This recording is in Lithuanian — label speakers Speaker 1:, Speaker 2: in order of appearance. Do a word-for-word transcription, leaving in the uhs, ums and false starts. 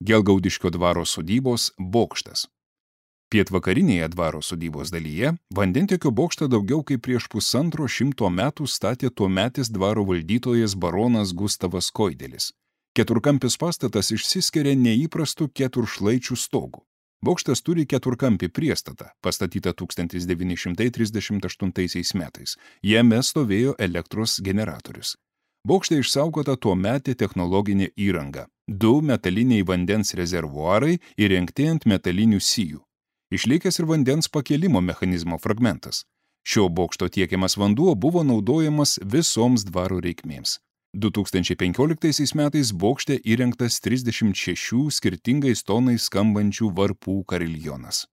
Speaker 1: Gelgaudiškio dvaro sodybos bokštas. Pietvakarinėje dvaro sodybos dalyje vandentiekio bokštą daugiau kaip prieš pusantro šimto metų statė tuometis dvaro valdytojas baronas Gustavas Koidelis. Keturkampis pastatas išsiskiria neįprastu keturšlaičių stogu. Bokštas turi keturkampį priestatą, pastatytą tūkstantis devyni šimtai trisdešimt aštuntaisiais metais. Jame stovėjo elektros generatorius. Bokšte išsaugota tuometė technologinė įranga. Du metaliniai vandens rezervuarai įrengti ant metalinių sijų. Išlikęs ir vandens pakėlimo mechanizmo fragmentas. Šio bokšto tiekiamas vanduo buvo naudojamas visoms dvaro reikmėms. du tūkstančiai penkioliktaisiais metais bokšte įrengtas trisdešimt šešių skirtingais tonais skambančių varpų kariljonas.